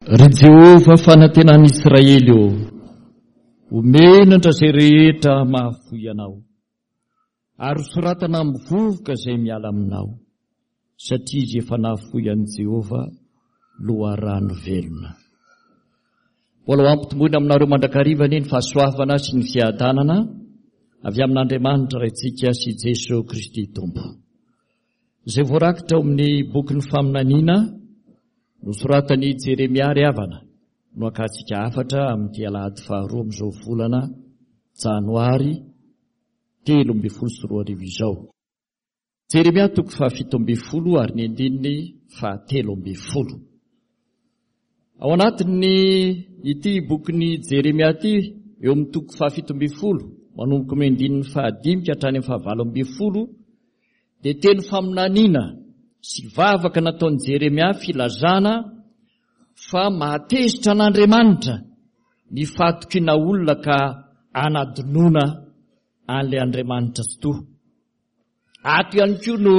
Ry Jehovah fanantenan'i Israely ô, ho menatra izay rehetra mahafoy anao, ary hosoratana amin'ny vovoka izay miala aminao, satria izy efa nahafoy an'i Jehovah, loharano velona. Mbola ho ampitomboina aminareo mandrakariva anie ny fahasoavana sy ny fiadanana avy amin'Andriamanitra Raintsika sy Jesoa Kristy Tompo. Izay voarakitra ao amin'ny bokin'ny faminaniana nosoratan'i Jeremia ry havana no akantsika hafatra amin'ity alahady faharoa amin'izao volana janoary 2013 izao. Jeremia toko faha-17 ary ny andininy faha-13. Ao anatin'ny ity bokin'i Jeremia ity, eo amin'ny toko faha-17, manomboka amin'ny andininy fahadimy ka hatrany amin'ny faha-18, dia teny faminaniana sy vavaka nataon'i Jeremia filazana fa mahatezitra an'Andriamanitra ny fahatokiana olona ka anadinoana an'ilay Andriamanitra Tsitoha. Ato ihany koa no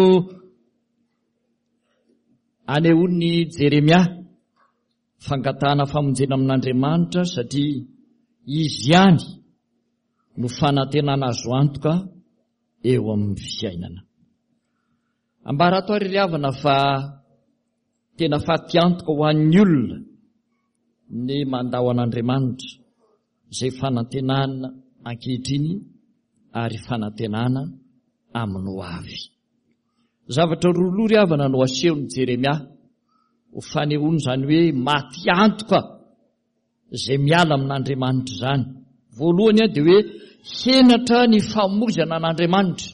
anehoan'i Jeremia fangatahana famonjena amin'Andriamanitra satria izy ihany no fanantenana azo antoka eo amin'ny fiainana. Ambara ato ary ry havana fa tena fatiantoka ho an'ny olona ny mandao an'Andriamanitra izay fanantenana ankehitriny ary fanantenana amin'ny ho avy. Zavatra roa loha ry havana no asehon'i Jeremia ho fanehoana izany hoe maty antoka izay miala amin'Andriamanitra izany. Voalohany dia hoe henatra ny famoizana an'Andriamanitra.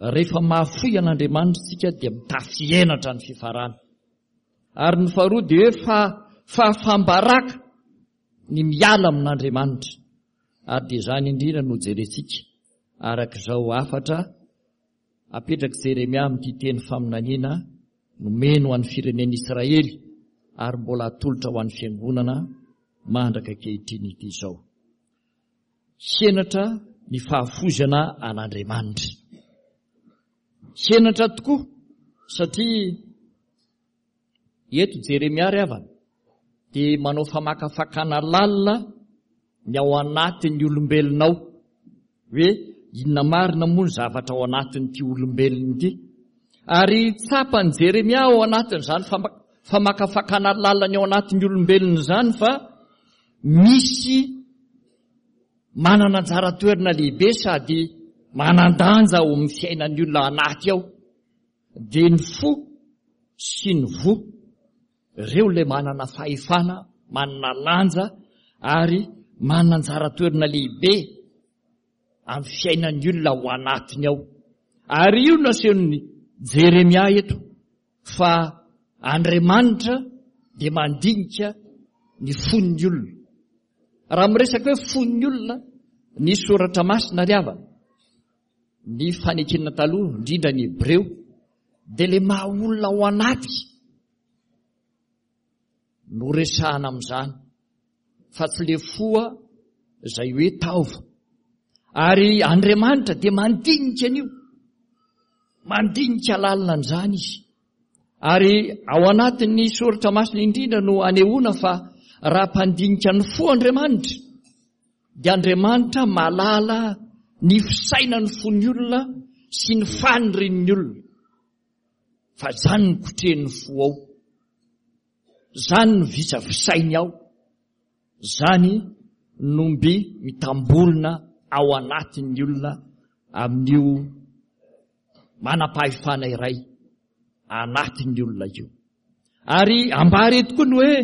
Rehefa mahafoy an'Andriamanitra isika dia mitafy henatra ny fifarana. Ary ny faharoa dia hoe fa fahafambaraka ny miala amin'Andriamanitra. Ary dia izany indrindra no jerentsika araka izao hafatra Apetrak'i Jeremia amin'ity teny faminaniana nomeny ho an'ny firenen'Israely ary mbola atolotra ho an'ny fiangonana mandraka ankehitriny ity izao. Henatra ny fahafoizana an'Andriamanitra. Henatra tokoa satria Eto Jeremia ry havana dia manao famakafakana lalina ny ao anatin'ny olombelona ao hoe inona marina moa ny zavatra ao anatin'ity olombelona ity. Ary tsapan'i Jeremia ao anatin'izany famakafakana lalina ny ao anatin'ny olombelona izany fa misy manana anjara toerana lehibe sady manan-danja ao amin'ny fiainan'ny olona anaty ao. Dia ny fo sy ny voa, ireo ilay manana fahefana, manana lanja ary manana anjara toerana lehibe amin'ny fiainan'ny olona ao anatiny ao. Ary io no asehon'i Jeremia eto fa Andriamanitra dia mandinika ny fon'ny olona. Raha miresaka hoe fon'ny olona ny soratra masina ry havana, Ny fanekena taloha, indrindra ny Hebreo, dia ilay maha olona ao anaty no resahana amin'izany, fa tsy ilay foa izay hoe taova. Ary Andriamanitra dia mandinika an'io, mandinika lalina an'izany izy. Ary ao anatin'ny soratra masina indrindra no anehoana fa raha mpandinika ny fo Andriamanitra, dia Andriamanitra mahalala ny fisainan'ny fon'ny olona sy ny fanirian'ny olona. Fa izany no kotrehin'ny fo ao. Izany no visavisainy ao. Izany no mby mitamborona ao anatin'ny olona amin'io manam-pahefana iray anatin'ny olona io. Ary ambara eto koa ny hoe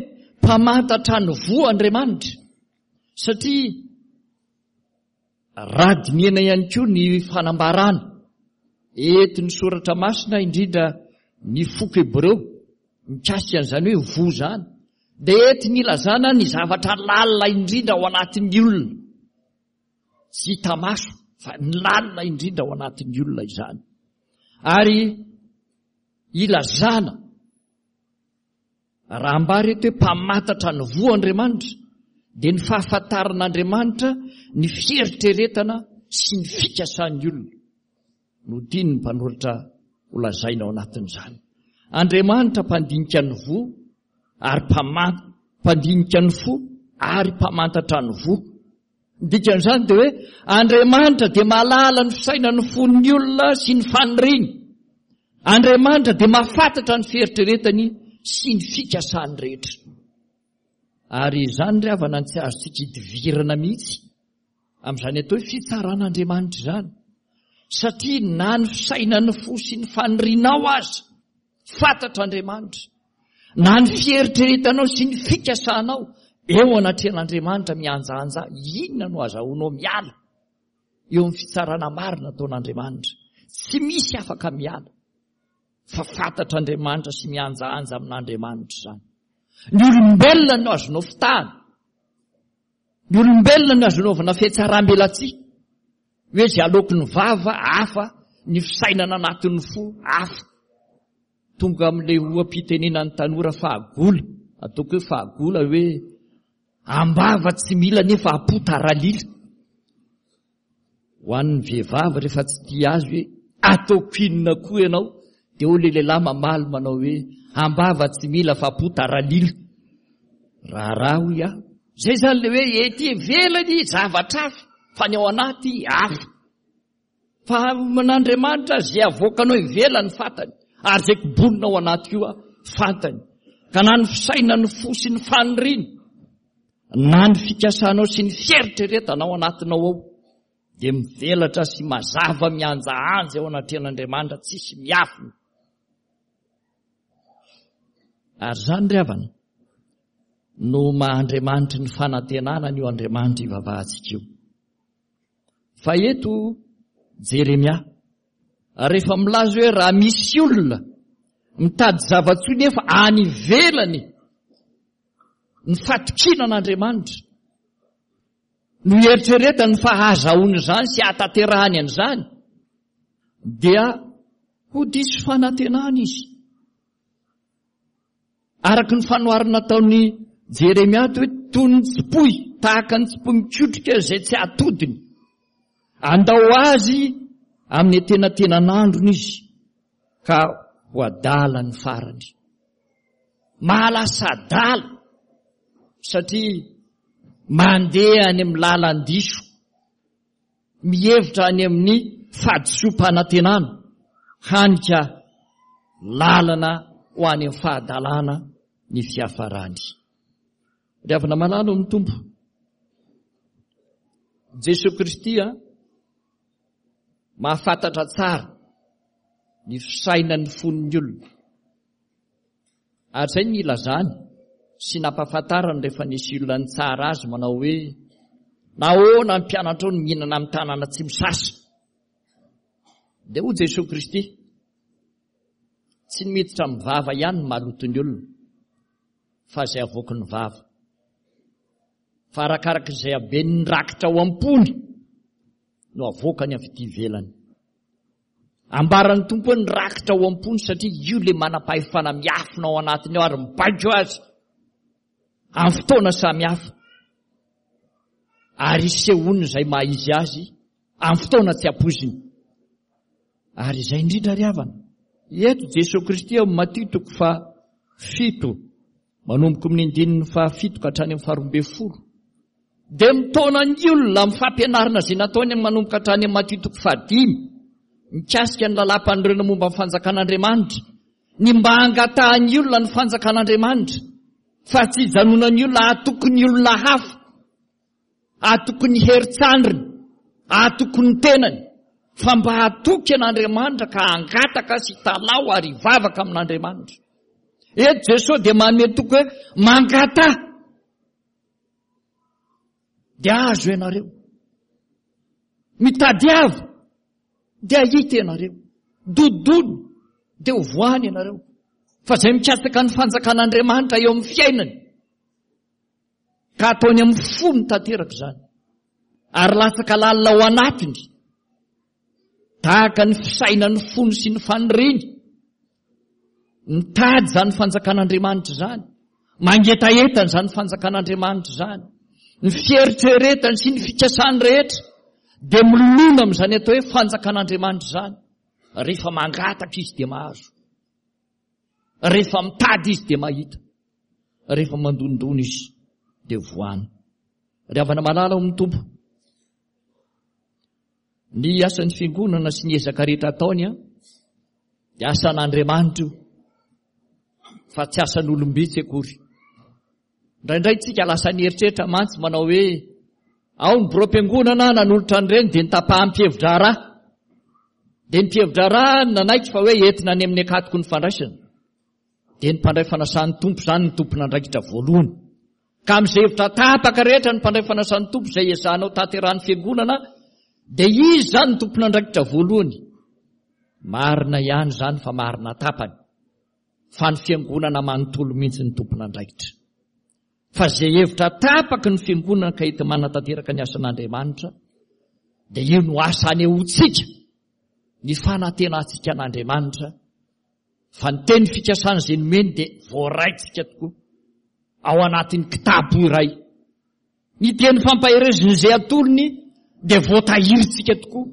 mpamantatra ny voa Andriamanitra. Satria raha dinihana ihany koa ny fanambarana entin'ny soratra masina indrindra ny foko hebreo mikasika an'izany hoe voa izany dia entiny ilazana ny zavatra lalina indrindra ao anatin'ny olona. Tsy hita maso fa ny lalina indrindra ao anatin'ny olona izany. Ary ilazana Raha ambara eto hoe mpamantatra ny voa Andriamanitra, dia ny fahafantaran'Andriamanitra ny fieritreretana sy ny fikasan'ny olona no tian'ny mpanoratra holazaina ao anatin'izany. Andriamanitra mpandinika ny voa. ary mpandinika ny fo ary mpamantatra ny voa. Ny dikan'izany dia hoe Andriamanitra dia mahalala ny fisainan'ny fon'ny olona sy ny faniriany. Andriamanitra dia mahafantatra ny fieritreretany sy ny fikasany rehetra. Ary izany ry havana no tsy azontsika idivirana mihitsy amin'izany atao hoe fitsaran'Andriamanitra izany. Satria na ny fisainan'ny fo sy ny fanirianao aza fantatr'Andriamanitra, na ny fieritreretanao sy ny fikasanao eo anatrehan'Andriamanitra mihanjahanja, inona no azahoanao miala eo amin'ny fitsarana marina ataon'Andriamanitra? Tsy misy afaka miala. Fa fantatr'Andriamanitra sy mihanjahanja amin'Andriamanitra izany. Ny olombelona no azonao fitahana. Ny olombelona no azo anaovana fihatsaram-belatsihy. Hoe izay aloaky ny vava hafa, ny fisainana anatin'ny fo hafa. Tonga amin'ilay oha-pitenenan'ny tanora fahagola, ataoko hoe fahagola hoe ambava tsy mila nefa am-po taralila. Ho an'ny vehivavy rehefa tsy tia azy hoe ataoko inona koa ianao dia hoy ilay lehilahy mamaly manao hoe ambava tsy mila fa am-po taralila. Raharaha hoy aho. Izay izany ilay hoe ety ivelany zavatra hafa fa ny ao anaty hafa. Fa amin'Andriamanitra izay avoakanao ivelany fantany ary izay kobonina ao anaty koa fantany. Ka na ny fisainan'ny fo sy ny faniriana na ny fikasanao sy ny fieritreretanao anatinao ao dia mivelatra sy mazava mihanjahanja eo anatrehan'Andriamanitra tsisy miafina. Ary izany ry havana no maha Andriamanitry ny fanantenana an'io Andriamanitra ivavahantsika io. Fa eto Jeremia rehefa milaza hoe raha misy olona mitady zava-tsoa nefa any ivelany ny fatokiana an'Andriamanitra no ieritreretany fa hahazahoany izany sy hahatanterahany an'izany dia ho diso fanantenana izy. Araka ny fanoharana nataon'i Jeremia hoe toy ny tsipoy, tahaka ny tsipoy mikotrika izay tsy atodiny. Andao azy amin'ny antenatenan'androny izy ka ho adala ny farany. Mahalasa adala satria mandeha any amin'ny lalan-diso, mihevitra any amin'ny fahadisoam-panantenana, hany ka lalana ho any amin'ny fahadalana ny fiafarany. Ry havana malala ao amin'ny Tompo, Jesoa Kristy a, mahafantatra tsara ny fisainan'ny fon'ny olona. Ary izay no nilazany sy nampahafantarany rehefa nisy olona nitsara azy manao hoe, Nahoana ny mpianatrao no mihinana amin'ny tanana tsy misasa? Dia hoy Jesoa Kristy, Tsy ny miditra amin'ny vava ihany no maloto ny olona, fa izay avoaky ny vava. Fa arakaraka izay haben'ny rakitra ao am-pony no avoakany avy ety ivelany. Ambaran'ny Tompo hoe ny rakitra ao am-pony satria io ilay manam-pahefana miafina ao anatiny ao ary mibaiko azy amin'ny fotoana samihafa ary isehoany izay maha izy azy amin'ny fotoana tsy ampoiziny. Ary izay indrindra ry havana, eto Jesoa Kristy ao Matio toko faha-7 Manomboka amin'ny andininy fahafito ka hatrany amin'ny faharoambinifolo, dia mitaona ny olona amin'ny fampianarana izay nataony manomboka hatrany amin'ny Matio toko fahadimy, mikasika ny lalàm-panorenana momba ny fanjakan'Andriamanitra, ny mba hangatahan'ny olona ny fanjakan'Andriamanitra, fa tsy hijanonan'ny olona hatoky ny olona hafa. Hatoky ny herin-tsandriny, hatoky ny tenany, fa mba hatoky an'Andriamanitra ka hangataka sy hitalaho ary hivavaka amin'Andriamanitra. Eto Jesoa dia manome toky hoe mangataha dia azo ianareo. Mitadiava dia hahita ianareo. Dodona dia ho voany ianareo. Fa izay mikatsaka ny fanjakan'Andriamanitra eo amin'ny fiainany Ka ataony amin'ny fony tanteraka izany. Ary latsaka lalina ao anatiny. Tahaka ny fisainan'ny fony sy ny faniriany. Mitady izany fanjakan'Andriamanitra izany. Mangetaheta izany fanjakan'Andriamanitra izany. Ny fieritreretany sy ny fikasany rehetra dia milona amin'izany atao hoe fanjakan'Andriamanitra izany. Rehefa mangataka izy dia mahazo. Rehefa mitady izy dia mahita. Rehefa mandondona izy dia voany. Ry havana malala ao amin'ny Tompo, ny asan'ny fiangonana sy ny ezaka rehetra ataony an, dia asan'Andriamanitra io, fa tsy asan'olom-bitsy akory. Indraindray tsika lasa nieritreritra mantsy manao hoe ao ny biraom-piangonana nanolotra an'ireny dia nitapaham-pihevi-draharaha. Dia ny mpihevi-draharaha nanaiky fa hoe entina any amin'ny akatoko ny fandraisana. Dia ny mpandray fanasan'ny Tompo izany ny tompon'andraikitra voalohany. Ka amin'izay hevitra tapaka rehetra ny mpandray fanasan'ny Tompo izay ezahanao tanterahan'ny fiangonana dia izy izany ny tompon'andraikitra voalohany. Marina ihany izany fa marina tapany. Fa ny fiangonana manontolo mihitsy ny tompon'andraikitra. Fa izay hevitra tapaky ny fiangonana ka enti-manatanteraka ny asan'Andriamanitra dia io no asa anehoantsika ny fanantenantsika an'Andriamanitra Fa ny teny fikasana izay nomeny dia voaraintsika tokoa ao anatin'ny kitapo iray. Ny teny fampaherezana izay atolony dia voatahirintsika tokoa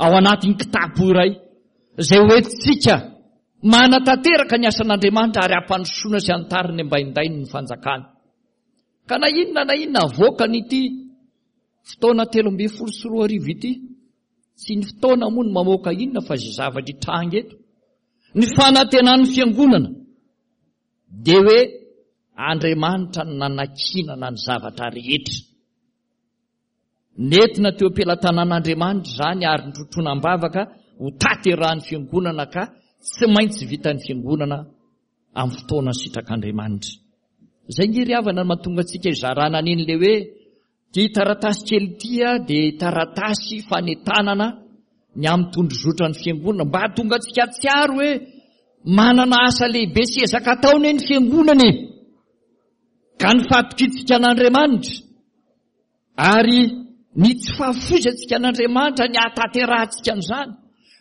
ao anatin'ny kitapo iray izay hoentintsika manatanteraka ny asan'Andriamanitra ary hampandrosoana sy hantariny ambaindainy ny fanjakany. Ka na inona na inona avoakan'ity fotoana 2013 ity, Tsy ny fotoana moa no mamoaka inona fa izay zavatra hitranga eto. Ny fanantenan'ny fiangonana dia hoe Andriamanitra no nanakinana ny zavatra rehetra. Nentina teo am-pelatanan'Andriamanitra izany ary notrotroina am-bavaka ho tanterahan'ny fiangonana ka tsy maintsy vitan'ny fiangonana amin'ny fotoana sitrak'Andriamanitra. Izay nge ry havana no mahatonga antsika hizarana an'iny le hoe Ity taratasy kely ity dia taratasy fanentanana ny amin'ny tondrozotran'ny fiangonana mba hahatonga antsika hahatsiaro hoe manana asa lehibe sy ezaka atao anie ny fiangonana e! Ka ny fahatokiantsika an'Andriamanitra ary ny tsy fahafoizantsika an'Andriamanitra ny hahatanterahantsika an'izany.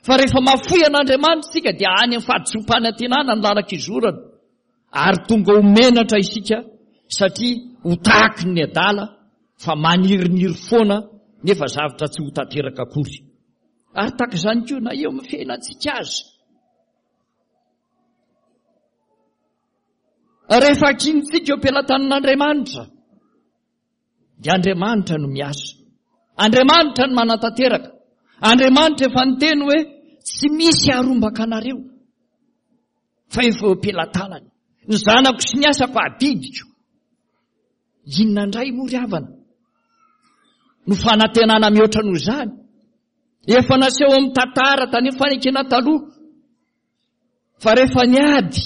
Fa rehefa mahafoy an'Andriamanitra isika dia any amin'ny fahadisoam-panantenana ny lalan-kizorana. Ary tonga ho menatra isika satria ho tahaky ny adala fa maniriniry foana nefa zavatra tsy ho tanteraka akory. Ary tahaka izany koa na eo amin'ny fiainantsika aza. Rehefa akintsika eo am-pelatanan'Andriamanitra dia Andriamanitra no miasa. Andriamanitra no manatanteraka. Andriamanitra efa niteny hoe tsy misy harombaka anareo. Fa efa eo am-pelatanany. Ny zanako sy ny asako adidiko. Inona indray moa ry havana no fanantenana mihoatra noho izany? Efa naseho amin'ny tantara tany amin'ny fanekena taloha fa rehefa niady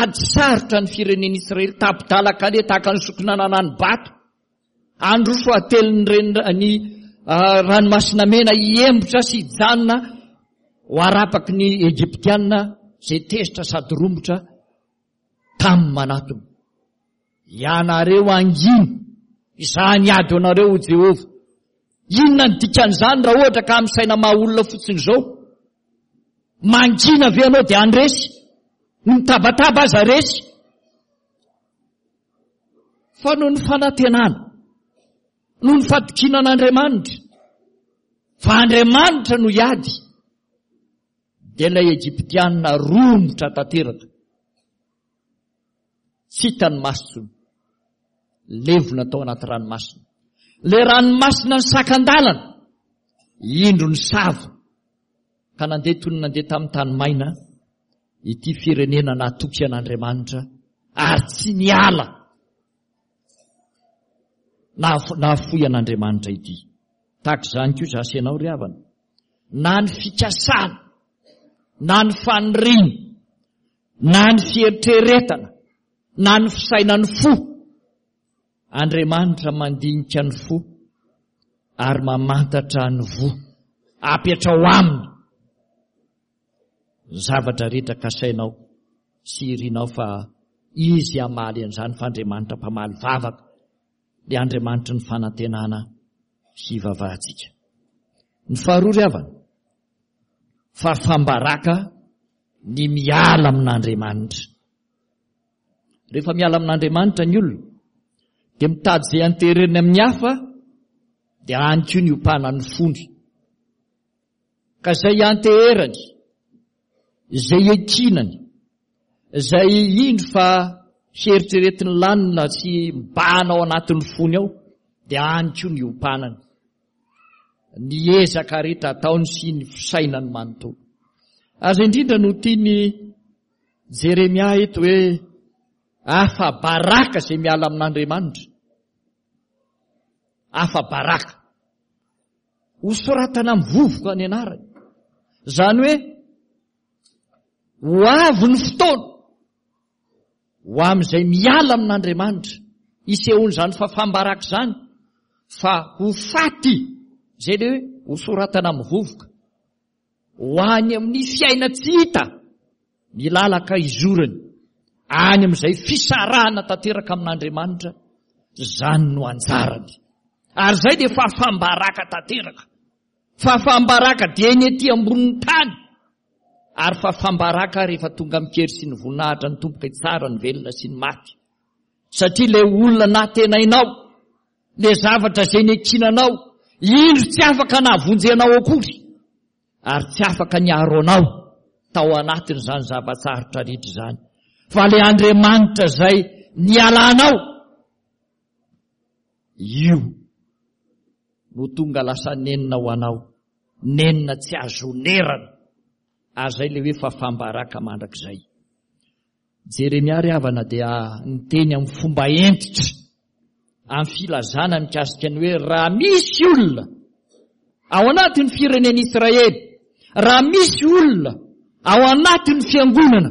ady sarotra ny firenen'Israely tapi-dalan-kaleha tahaka ny sokina nanani-bato Handroso hatelin'ny reny ny ranomasina mena hiembotra sy hijanona ho arapaky ny Egyptiana izay tezitra sady romotra tamin'ny manatona. Ianareo hangina, izaho niady ho anareo, hoy Jehovah. Inona ny dikan'izany raha ohatra ka amin'ny saina maha olona fotsiny izao? Mangina ve ianao dia handresy? Ny mitabataba aza resy. Fa noho ny fanantenana, noho ny fatokiana an'Andriamanitra, fa Andriamanitra no hiady, dia ilay Egyptiana romotra tanteraka. Tsy hitany masony, levona tao anaty ranomasina. Ilay ranomasina nisakan-dalana, indro ny sava, ka nandeha toy ny nandeha tamin'ny tany maina, ity firenena natoky an'Andriamanitra ary tsy niala nahafoy an'Andriamanitra ity. Tahaka izany koa izaho sy ianao ry havana. Na ny fikasana, na ny faniriana, na ny fieritreretana, na ny fisainan'ny fo, Andriamanitra mandinika ny fo ary mamantatra ny voa. Apetrao aminy. Ny zavatra rehetra kasainao sy irinao fa Izy hamaly an'izany fa Andriamanitra mpamaly vavaka, ilay Andriamanitry ny fanantenana hivavahantsika. Ny faharoa ry havana, fahafam-baraka ny miala amin'Andriamanitra. Rehefa miala amin'Andriamanitra ny olona, dia mitady izay antereny amin'ny hafa, dia any koa ny ompanan'ny fony. Ka izay ianteherany, izay iankinany, izay indro fa heritreretin'ny lanina sy mibahana ao anatin'ny fony ao dia any koa ny iompanany. Ny ezaka rehetra ataony sy ny fisainany manontolo. Aza indrindra no tiany Jeremia eto hoe afa-baraka izay miala amin'Andriamanitra. Afa-baraka. Hosoratana amin'ny vovoka ny anarany. Izany hoe ho avy ny fotoana ho amin'izay miala amin'Andriamanitra. Hisehoan'izany fahafaham-baraka izany fa ho faty izay le hoe hosoratana amin'ny vovoka. Ho any amin'ny fiaina-tsy hita ny lalaka izorany, any amin'izay fisarahana tanteraka amin'Andriamanitra, izany no anjarany. Ary izay dia fahafaham-baraka tanteraka. Fahafaham-baraka dia eny ety ambonin'ny tany, ary fahafaham-baraka rehefa tonga amin-kery sy ny voninahitra ny Tompo ka hitsara ny velona sy ny maty. Satria ilay olona natenainao, ilay zavatra izay nekinanao, indro tsy afaka nahavonjy anao akory, ary tsy afaka niaro anao tao anatin'izany zava-tsarotra rehetra izany. Fa ilay Andriamanitra izay nialanao, io no tonga lasa nenina ho anao, nenina tsy azo onerana, ary izay ilay hoe fahafaham-baraka mandrakizay. Jeremia ry havana dia niteny amin'ny fomba hentitra amin'ny filazana mikasika ny hoe raha misy olona ao anatin'ny firenen'i Israely, raha misy olona ao anatin'ny fiangonana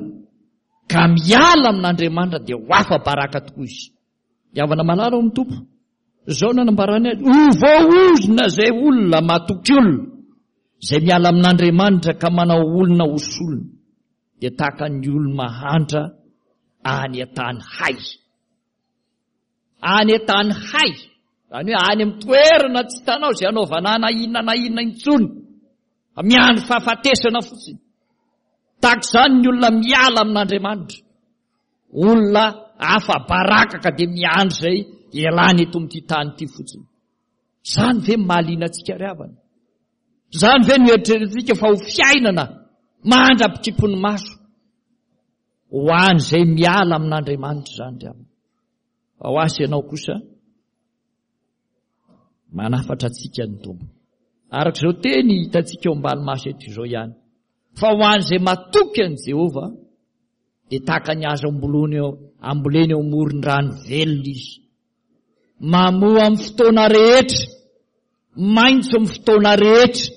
ka miala amin'Andriamanitra dia ho afa-baraka tokoa izy. Ry havana malala ao amin'ny Tompo, izao no anambarany azy, ho voaozona izay olona matoky olona, izay miala amin'Andriamanitra ka manao olona ho solony. dia tahaka ny olo-mahantra any an-tany hay. Any an-tany hay, izany hoe any amin'ny toerana tsy hitanao izay hanaovana na inona na inona intsony, fa miandry fahafatesana fotsiny. Tahaka izany ny olona miala amin'Andriamanitra. Olona afa-baraka ka dia miandry izay hialany eto amin'ity tany ity fotsiny. Izany ve mahaliana antsika ry havana? Izany ve no eritreretintsika fa ho fiainana mandra-pikipon'ny maso? Ho an'izay miala amin'Andriamanitra izany ry havana. Fa ho ahy sy ianao kosa, manafatra antsika ny Tompo. Araka izao teny hitantsika eo ambany maso eto izao ihany. Fa ho an'izay matoky an'i Jehovah, dia tahaka ny hazo ambolony eo, ambolena eo amoron-drano velona izy. Mamoa amin'ny fotoana rehetra, maitso amin'ny fotoana rehetra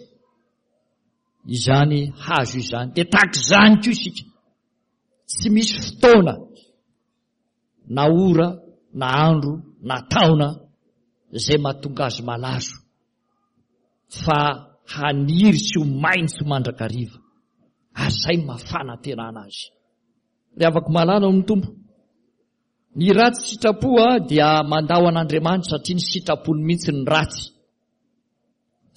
izany hazo izany. Dia tahaka izany koa isika. Tsy misy fotoana na ora na andro na taona izay mahatonga azy malazo fa haniry sy ho maitso mandrakariva. Ary izay no maha fanantenana azy. Ry havako malala ao amin'ny Tompo, Ny ratsy sitrapo dia mandao an'Andriamanitra satria ny sitrapony mihitsy ny ratsy.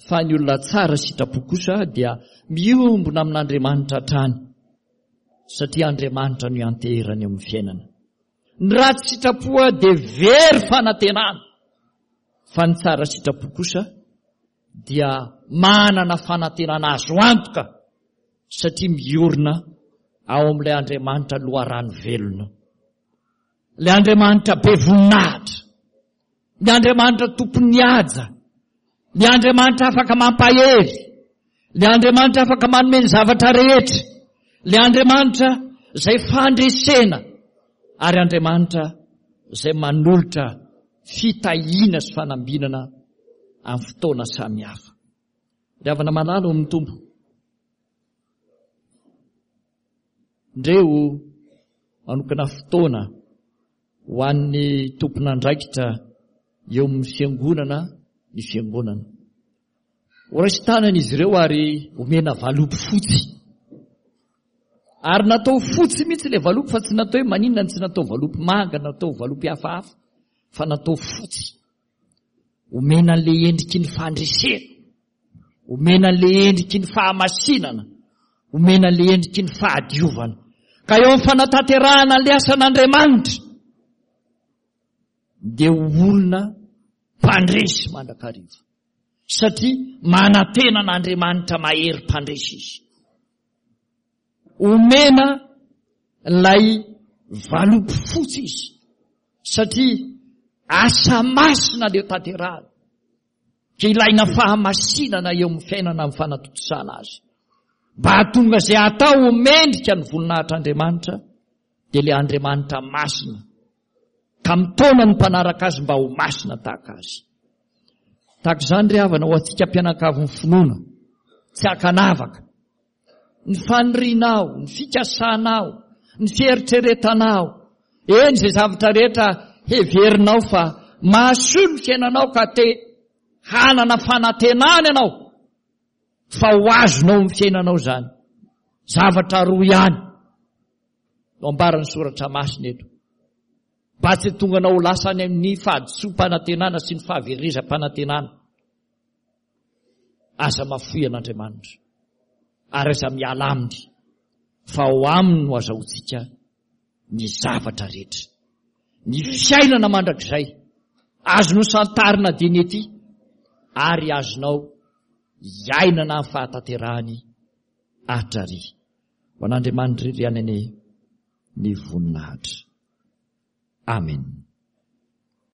Fa ny olona tsara sitrapo kosa dia miombona amin'Andriamanitra hatrany satria Andriamanitra no ianteherany eo amin'ny fiainana. Ny ratsy sitrapo dia very fanantenana fa ny tsara sitrapo kosa dia manana fanantenana azo antoka satria miorina ao amin'ilay Andriamanitra loharano velona. Ilay Andriamanitra be voninahitra. Ny Andriamanitra tompon'ny haja. Ny Andriamanitra afaka mampahery. Ny Andriamanitra afaka manome ny zavatra rehetra. Ny Andriamanitra izay fandresena ary Andriamanitra izay manolotra fitahiana sy fanambinana amin'ny fotoana samihafa. Ry havana malala ao amin'ny Tompo, ndreo manokana fotoana ho an'ny tompon'andraikitra eo amin'ny fiangonana ny fiangonana. Ho raisin-tanana izy ireo ary omena valopy fotsy. Ary natao fotsy mihitsy ilay valopy fa tsy natao hoe maninona no tsy natao valopy manga, natao valopy hafahafa fa natao fotsy. Omena an'ilay endriky ny fandresena. Omena an'ilay endriky ny fahamasinana. Omena an'ilay endriky ny fahadiovana. Ka eo amin'ny fanatanterahana an'ilay asan'Andriamanitra dia ho olona mpandresy mandrakariva. Satria manantena an'Andriamanitra mahery mpandresy izy. Omena ilay Valopy fotsy izy satria asa masina le tanterahana. Ka ilaina fahamasinana eo amin'ny fiainana amin'ny fanatontosana azy. Mba hahatonga izay atao ho mendrika ny voninahitr'Andriamanitra dia ilay Andriamanitra masina ka mitaona ny mpanaraka azy mba ho masina tahaka azy. Tahaka izany ry havana ho antsika mpianakavin'ny finoana tsy ankanavaka ny fanirianao, ny fikasanao, ny fieritreretanao, eny izay zavatra rehetra heverinao fa mahasoa ny fiainanao ka te hanana fanantenana ianao fa ho azonao amin'ny fiainanao izany. Zavatra roa ihany no ambaran'ny soratra masina eto. Mba tsy tonga anao ho lasa any amin'ny fahadisoam-panantenana sy ny fahaverezam-panantenana. Aza mafoy an'Andriamanitra ary aza miala aminy fa ao aminy no azahoantsika ny zavatra rehetra. Ny fiainana mandrakizay azonao santarina dieny ety ary azonao iainana amin'ny fahatanterahany hatrary. Ho an'Andriamanitra irery ihany anie ny voninahitra. Amen.